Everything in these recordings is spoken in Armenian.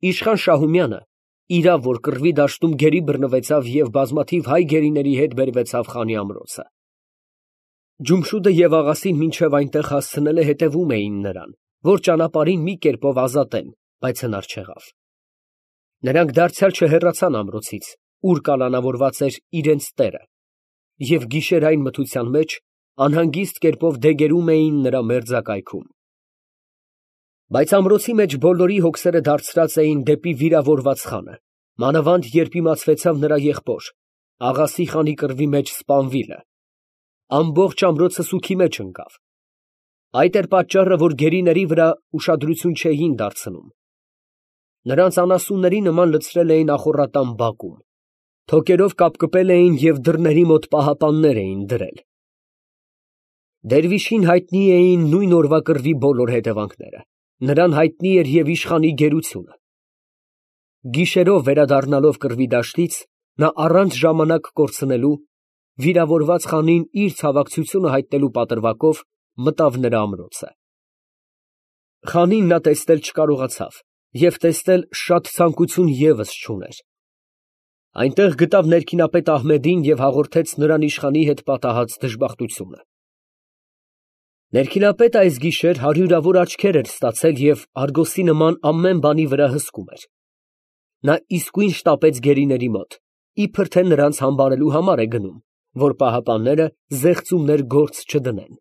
Իշխան Շահումյանը, իրավ որ կռվի դաշտում գերի բռնվեցավ և բազմաթիվ հայ գերիների հետ բերվեցավ խանի ամրոցը։ Ջումշուդը և աղասին մինչև այնտեղ հասցնելը հետևում էին նրան, որ ճանապարհին մի կերպով ազատեն, բայց հնար չեղավ։ Նրանք դարձյալ չհեռացան ամրոցից, ուր կալանավորված էր իրենց տերը, և գիշերային մթության մեջ անհանգիստ կերպով դեգերում էին նրա մերձակայքում։ Բայց ամրոցի մեջ բոլորի հոգսերը դարձրած էին դեպի վիրավորված խանը, մանավանդ երբ իմացվեցավ նրա եղբոր, Աղասի խանի կռվի մեջ սպանվիլը, ամբողջ ամրոցը սուգի մեջ ընկավ։ Այդ էր պատճառը, որ գերիների վրա ուշադրություն չէին դարձնում։ Նրանց անասունների նման լցրել էին ախոռատան բակում, թոկերով կապկպել էին և դռների մոտ պահապաններ էին դրել։ Դերվիշին հայտնի էին նույն օրվա կռվի բոլոր հետևանքները, նրան հայտնի էր և իշխանի գերությունը։ Գիշերով վերադառնալով կռվի դաշտից, նա առանց ժամանակ կորցնելու, վիրավորված խանին իր ցավակցությունը հայտնելու պատրվակով մտավ նրա ամրոցը։ Խանին նա տեսնել չկարողացավ և տեսնել շատ ցանկություն ևս չուներ։ Այնտեղ գտավ ներքինապետ Ահմեդին և հաղորդեց նրան իշխանի հետ պատահած դժբախտությունը։ Ներքինապետը այս գիշեր հարյուրավոր աչքեր էր ստացել և արգոսի նման ամեն բանի վրա հսկում էր։ Նա իսկույն շտապեց գերիների մոտ, իբր թե նրանց համբարելու համար է գնում, որ պահապանները զեղծումներ գործ չդնեն։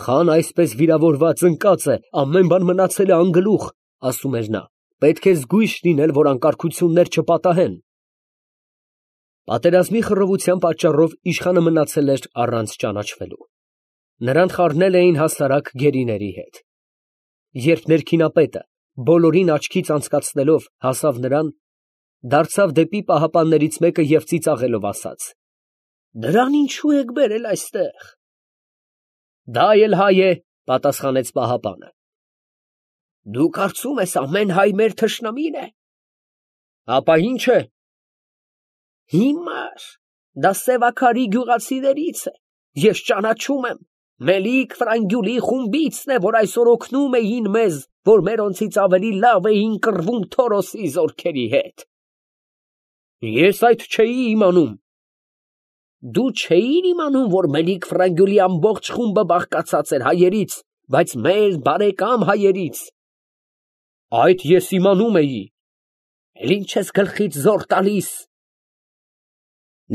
Խան այսպես վիրավորված ընկած է, ամեն բան մնացել է անգլուխ, ասում էր նա, պետք է զգույշ լինել, որ անկարգություններ չպատահեն։ Պատերազմի խռովության պատճառով իշխանը մնացել էր առանց ճանաչվելու։ Նրան խառնել էին հասարակ գերիների հետ։ Երբ ներքինապետը բոլորին աչքից անցկացնելով հասավ նրան, դարձավ դեպի պահապաններից մեկը և ծիծաղելով ասաց. «Դրան ինչու եք բերել այստեղ»։ «Դա էլ հայ է», պատասխանեց պահապանը։ «Դու կարծում ես ամեն հայ մեր թշնամին է»։ «Ապա ի՞նչ է»։ «Հիմար, դա Սևաքարի գյուղացիներից է, ես ճանաչում եմ, Մելիք Ֆրանգյուլի խումբիցն է, որ այսօր օգնում էին մեզ, որ մերոնցից ավելի լավ էին կռվում Թորոսի զորքերի հետ»։ «Ես այդ չէի իմանում»։ «Դու չէիր իմանում, որ Մելիք Ֆրանգյուլի ամբողջ խումբը բաղկացած էր հայերից, բայց մեր բարեկամ հայերից»։ «Այդ ես իմանում էի»։ «Էլ ի՞նչ ես գլխիդ զոր տալիս»։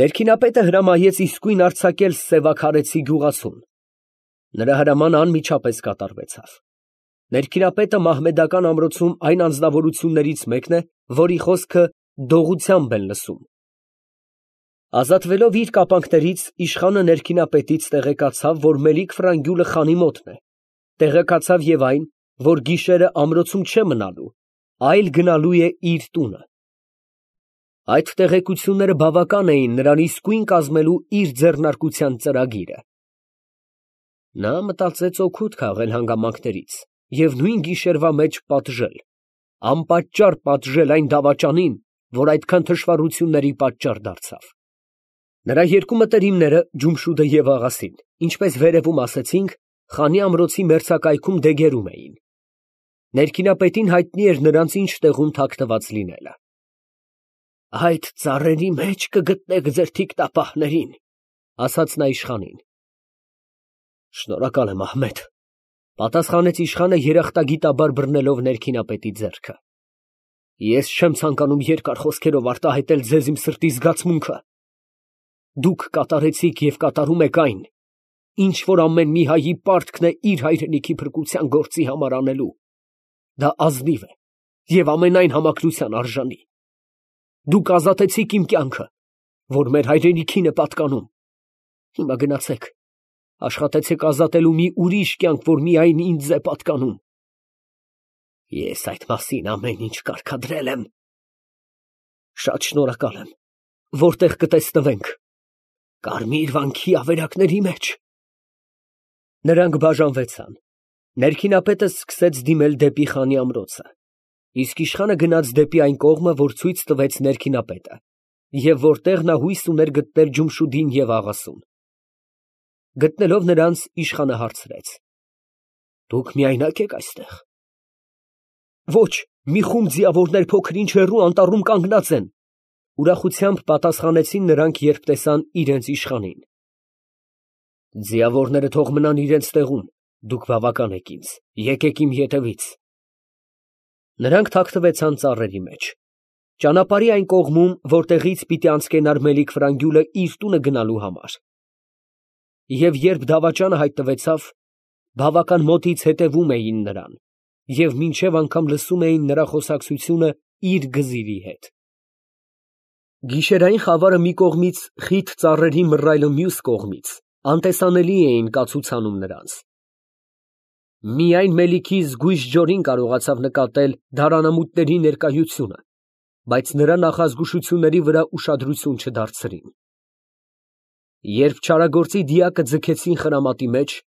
Ներքինապետը հրամայեց իսկույն արձակել սևաքարեցի գյուղացուն։ Նրա հրամանը անմիջապես կատարվեցավ։ Ներքինապետը մահմեդական ամրոցում այն անձնավորություններից մեկն է, որի խոսքը դողությամբ են լսում։ Ազատվելով իր կապանքներից, իշխանը ներքինապետից տեղեկացավ, որ Մելիք Ֆրանգյուլը խանի մոտն է, տեղեկացավ և այն, որ գիշերը ամրոցում չէ մնալու, այլ գնալու է իր տունը։ Այդ տեղեկությունները բավական էին նրան իսկույն կազմելու իր ձեռնարկության ծրագիրը։ Նա մտածեց օգուտ քաղել հանգամանքներից և նույն գիշերվա մեջ պատժել, անպատճառ պատժել այն դավաճանին, որ այդքան թշվառությունների պատճառ դարձավ։ Նրա երկու մտերիմները, Ջումշուդը և Աղասին, ինչպես վերևում ասեցինք, խանի ամրոցի մերձակայքում դեգերում էին։ Ներքինապետին հայտնի էր նրանց ինչ տեղում թաքնված լինելը։ «Այդ ծառերի մեջ կգտնեք ձեր թիկնապահներին», ասաց նա իշխանին։ «Շնորհակալ եմ, Ահմեդ», պատասխանեց իշխանը երախտագիտաբար բռնելով ներքինապետի ձեռքը։ «Ես չեմ ցանկանում երկար խոսքերով արտահայտել ձեզ իմ սրտի զգացմունքը։ Դուք կատարեցիք և կատարում եք այն, ինչ որ ամեն մի հայի պարտքն է իր հայրենիքի փրկության գործի համար անելու։ Դա ազնիվ է և ամենայն համակրության արժանի։ Դուք ազատեցիք իմ կյանքը, որ մեր հայրենիքին է պատկանում։ Հիմա գնացեք, աշխատեցեք ազատելու մի ուրիշ կյանք, որ միայն ինձ է պատկանում։ Ես այդ մասին ամեն ինչ կարգադրել եմ։ Շատ շնորհակալ եմ։ Որտեղ կտեսնվենք։ Կարմիր վանքի ավերակների մեջ։ Նրանք բաժանվեցան։ Ներքինապետը սկսեց դիմել դեպի խանի ամրոցը, իսկ իշխանը գնաց դեպի այն կողմը, որ ցույց տվեց ներքինապետը, և որտեղ նա հույս ուներ գտնել Ջումշուդին և Աղասուն։ Գտնելով նրանց, իշխանը հարցրեց. «Դուք միայնա՞կ եք այստեղ»։ «Ոչ, Մի խումբ ձիավորներ փոքր-ինչ հեռու անտառում կանգնած են։ Ուրախությամբ պատասխանեցին նրանք, երբ տեսան իրենց իշխանին։ Ձիավորները թող մնան իրենց տեղում, դուք բավական եք ինձ, եկեք իմ ետևից։ Նրանք թաքնվեցան ծառերի մեջ։ Ճանապարհի այն կողմում, որտեղից պիտի անցկենար Մելիք Ֆրանգյուլը իր տունը գնալու համար։ Եվ երբ դավաճանը հայտնվեցավ, բավական մոտից հետևում էին նրան, և մինչև անգամ լսում էին նրա խոսակցությունը իր գզիրի հետ։ Գիշերային խավարը մի կողմից, խիտ ծառերի մռայլը մյուս կողմից անտեսանելի էին կացուցանում նրանց։ Միայն Մելիքի զգույշ ջորին կարողացավ նկատել դարանամուտների ներկայությունը, բայց նրա նախազգուշությունների վրա ուշադրություն չդարձրին։ Երբ չարագործի դիակը ձգեցին խրամատի մեջ,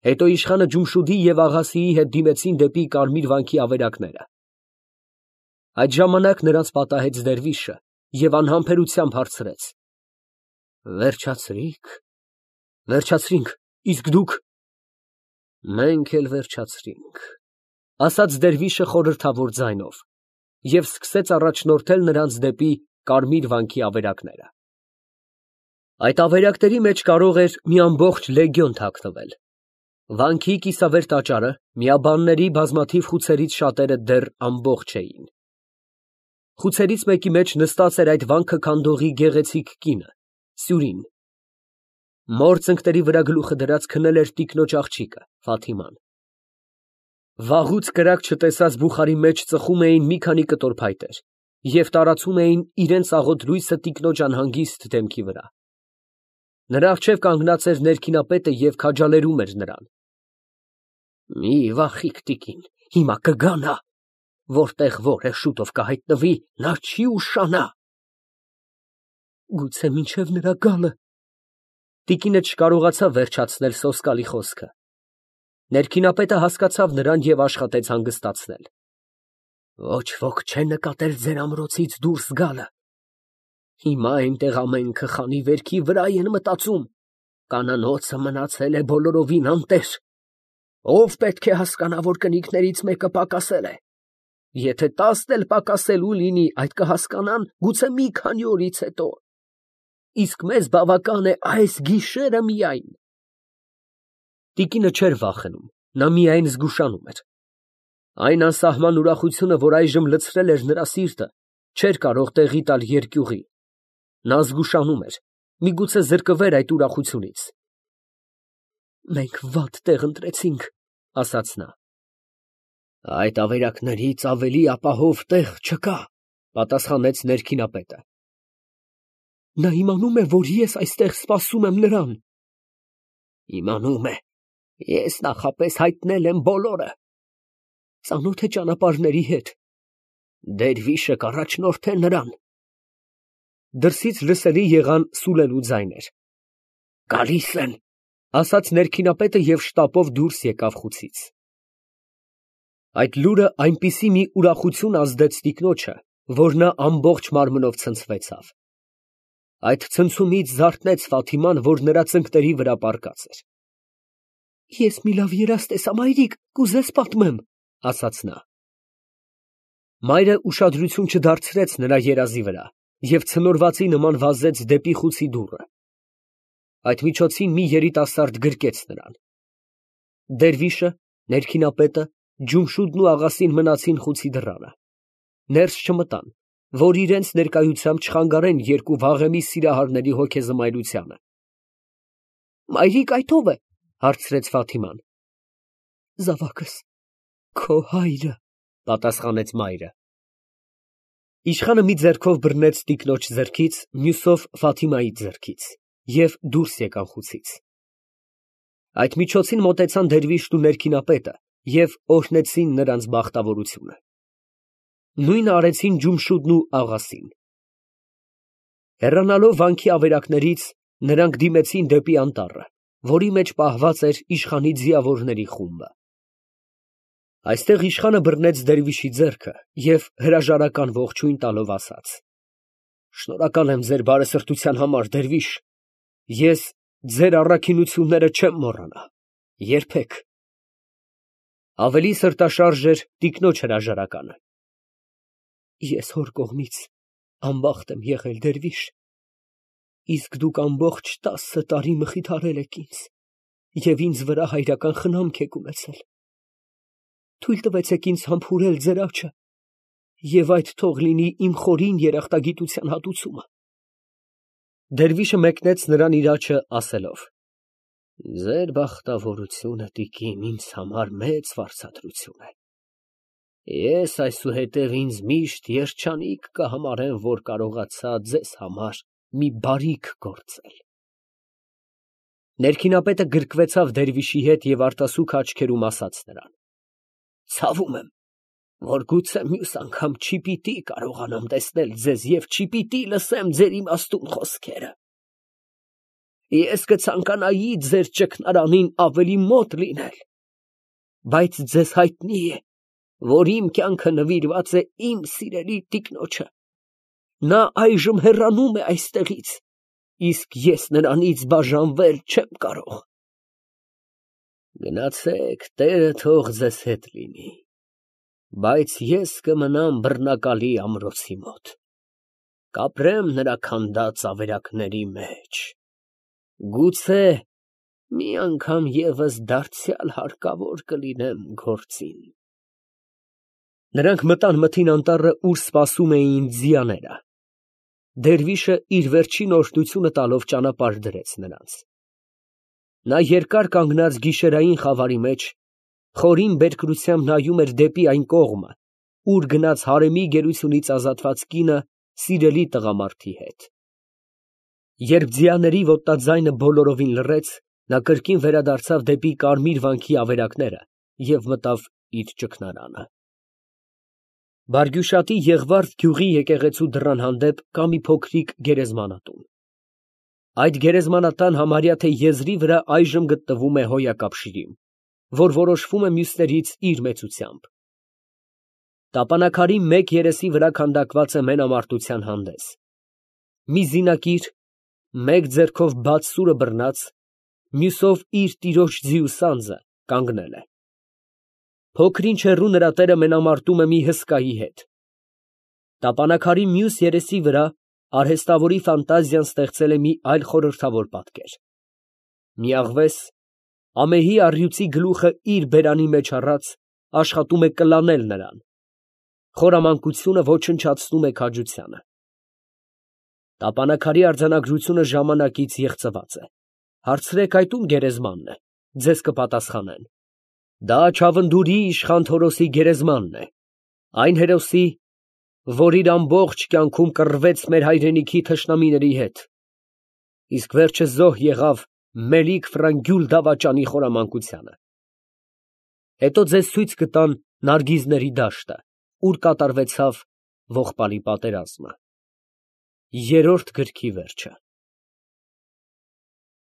հետո իշխանը Ջումշուդի և Աղասիի հետ դիմեցին դեպի Կարմիր վանքի ավերակները։ Այդ ժամանակ նրանց պատահեց դերվիշը և անհամբերությամբ հարցրեց. Վերջացրի՞ք, վերջացրինք, իսկ դուք։ Մենք էլ վերջացրինք, ասաց դերվիշը խորհրդավոր ձայնով և սկսեց առաջնորդել նրանց դեպի Կարմիր վանքի ավերակները։ Այդ ավերակների մեջ կարող էր մի ամբողջ լեգիոն թաքնվել։ Վանքի կիսավեր տաճարը, միաբանների բազմաթիվ խուցերից շատերը դեռ ամբողջ էին։ Խուցերից մեկի մեջ նստած էր այդ վանքը քանդողի գեղեցիկ կինը՝ Սյուրին։ Մոր ծնկների վրա գլուխը դրած քնել էր տիկնոջ աղջիկը՝ Ֆաթիման։ Վաղուց կրակ չտեսած բուխարի մեջ ծխում էին մի քանի կտոր փայտեր և տարածում էին իրենց աղոտ լույսը տիկնոջ անհանգիստ դեմքի վրա։ Նրա առջև կանգնած էր ներքինապետը և քաջալերում էր նրան։ Մի վախիք, տիկին, հիմա կգա նա, որտեղ որ է շուտով կհայտնվի, նա չի ուշանա։ Գուցե մինչև նրա գալը։ Տիկինը չկարողացավ վերջացնել սոսկալի խոսքը։ Ներքինապետը հասկացավ նրան և աշխատեց հանգստացնել։ Ոչ ոք չէ նկատել ձեր ամրոցից դուրս գալը։ Հիմա այնտեղ ամենքը խանի վերքի վրա են մտածում, կանանոցը մնացել է բոլորովին անտեր։ Ով պետք է հասկանա, որ կնիկներից մեկը պակասել է։ Եթե 10 էլ պակասելու լինի, այդ կհասկանան գուցե մի քանի օրից հետո։ Իսկ մեզ բավական է այս գիշերը միայն։ Տիկինը չէր վախենում, նա միայն զգուշանում էր։ Այն անսահման ուրախությունը, որ այժմ լցրել էր նրա սիրտը, չէր կարող տեղի տալ երկյուղի։ Նա զգուշանում էր, միգուցե զրկվեր այդ ուրախությունից։ Մենք վատ տեղ ընտրեցինք, ասաց նա։ Այդ ավերակներից ավելի ապահով տեղ չկա, պատասխանեց ներքինապետը։ Նա իմանում է, որ ես այստեղ սպասում եմ նրան։ Իմանում է, ես նախապես հայտնել եմ բոլորը։ Ծանոթ է ճանապարհների հետ։ Դերվիշը կառաջնորդե նրան։ Դրսից լսելի եղան սուլելու ձայներ։ Գալիս են, ասաց ներքինապետը և շտապով դուրս եկավ խուցից։ Այդ լուրը այնպիսի մի ուրախություն ազդեց տիկնոջը, որ նա ամբողջ մարմնով ցնցվեցավ։ Այդ ցնցումից զարթնեց Ֆաթիման, որ նրա ծնկների վրա պառկած էր։ Ես մի լավ երազ տեսա, մայրիկ, կուզես պատմեմ, ասաց նա։ Մայրը ուշադրություն չդարձրեց նրա երազի վրա և ցնորվածի նման վազեց դեպի խուցի դուռը։ Այդ միջոցին մի երիտասարդ գրկեց նրան։ Դերվիշը, ներքինապետը, Ջումշուդն ու Աղասին մնացին խուցի դռանը։ Ներս չմտան, որ իրենց ներկայությամբ չխանգարեն երկու վաղեմի սիրահարների հոգեզմայլությանը։ Մայրիկ, այդ ո՞վ է, հարցրեց Ֆաթիման։ Զավակս, քո հայրը, պատասխանեց մայրը։ Իշխանը մի ձեռքով բռնեց տիկնոջ ձեռքից, մյուսով Ֆաթիմայի ձեռքից և դուրս եկան խուցից։ Այդ միջոցին մոտեցան դերվիշն ու ներքինապետը և օրհնեցին նրանց բախտավորությունը։ Նույնը արեցին Ջումշուդն ու Աղասին։ Հեռանալով վանքի ավերակներից, նրանք դիմեցին դեպի անտառը, որի մեջ պահված էր իշխանի ձիավորների խումբը։ Այստեղ իշխանը բռնեց դերվիշի ձեռքը և հրաժարական ողջույն տալով ասաց. Շնորհակալ եմ ձեր բարեսրտության համար, դերվիշ, ես ձեր առաքինությունները չեմ մոռանա, երբեք։ Ավելի սրտաշարժ էր տիկնոջ հրաժարականը։ Ես հոր կողմից անբախտ եմ եղել, դերվիշ, իսկ դուք ամբողջ 10 տարի մխիթարել եք ինձ և ինձ վրա հայրական խնամք եք ունեցել։ Թույլ տվեցեք ինձ համբուրել ձեր աջը, և այդ թող լինի իմ խորին երախտագիտության հատուցումը։ Դերվիշը մեկնեց նրան իր աջը, ասելով. Ձեր բախտավորությունը, տիկին, ինձ համար մեծ վարձատրություն է։ Ես այսուհետև ինձ միշտ երջանիկ կհամարեմ, որ կարողացա ձեզ համար մի բարիք գործել։ Ներքինապետը գրկվեցավ դերվիշի հետ և արտասուք աչքերում ասաց նրան. Ցավում եմ, որ գուցե մյուս անգամ չպիտի կարողանամ տեսնել ձեզ և չպիտի լսեմ ձեր իմաստուն խոսքերը։ Ես կցանկանայի ձեր ճգնարանին ավելի մոտ լինել, բայց ձեզ հայտնի է, որ իմ կյանքը նվիրված է իմ սիրելի տիկնոջը։ Նա այժմ հեռանում է այստեղից, իսկ ես նրանից բաժանվել չեմ կարող։ Գնացեք, Տերը թող ձեզ հետ լինի, բայց ես կմնամ բռնակալի ամրոցի մոտ, կապրեմ նրա քանդած ավերակների մեջ, գուցե մի անգամ ևս դարձյալ հարկավոր կլինեմ գործին։ Նրանք մտան մթին անտառը, ուր սպասում էին ձիաները։ Դերվիշը իր վերջին օրհնությունը տալով ճանապարհ դրեց նրանց։ Նա երկար կանգնած գիշերային խավարի մեջ խորին բերկրությամբ նայում էր դեպի այն կողմը, ուր գնաց հարեմի գերությունից ազատված կինը սիրելի տղամարդի հետ։ Երբ ձիաների ոտնաձայնը բոլորովին լռեց, նա կրկին վերադարձավ դեպի կարմիր վանքի ավերակները և մտավ իր ճգնարանը։ Բարգյուշատի Եղվարդ գյուղի եկեղեցու դռան հանդեպ կա մի փոքրիկ գերեզմանատուն։ Այդ գերեզմանատան համարյա թե եզրի վրա այժմ գտնվում է հոյակապ շիրիմ, որ որոշվում է մյուսներից իր մեծությամբ։ Տապանաքարի մեկ երեսի վրա քանդակված է մենամարտության հանդես։ Մի զինակիր, մեկ ձեռքով բաց սուրը բռնած, մյուսով իր տիրոջ ձիու սանձը կանգնել է։ Փոքր-ինչ հեռու նրա տերը մենամարտում է մի հսկայի հետ։ Տապանաքարի մյուս երեսի վրա արհեստավորի ֆանտազիան ստեղծել է մի այլ խորհրդավոր պատկեր։ Մի աղվես, ամեհի առյուծի գլուխը իր բերանի մեջ առած, աշխատում է կլանել նրան։ Խորամանկությունը ոչնչացնում է քաջությանը։ Տապանաքարի արձանագրությունը ժամանակից եղծված է։ Հարցրեք, այդ ում գերեզմանն է, ձեզ կպատասխանեն. դա Չավնդուրի իշխան Թորոսի գերեզմանն է, այն հերոսի, որ իր ամբողջ կյանքում կռվեց մեր հայրենիքի թշնամիների հետ, իսկ վերջը զոհ եղավ Մելիք Ֆրանգյուլ դավաճանի խորամանկությանը։ Հետո ձեզ ցույց կտան Նարգիզների դաշտը, ուր կատարվեցավ ողբալի պատերազմը։ Երրորդ գրքի վերջը։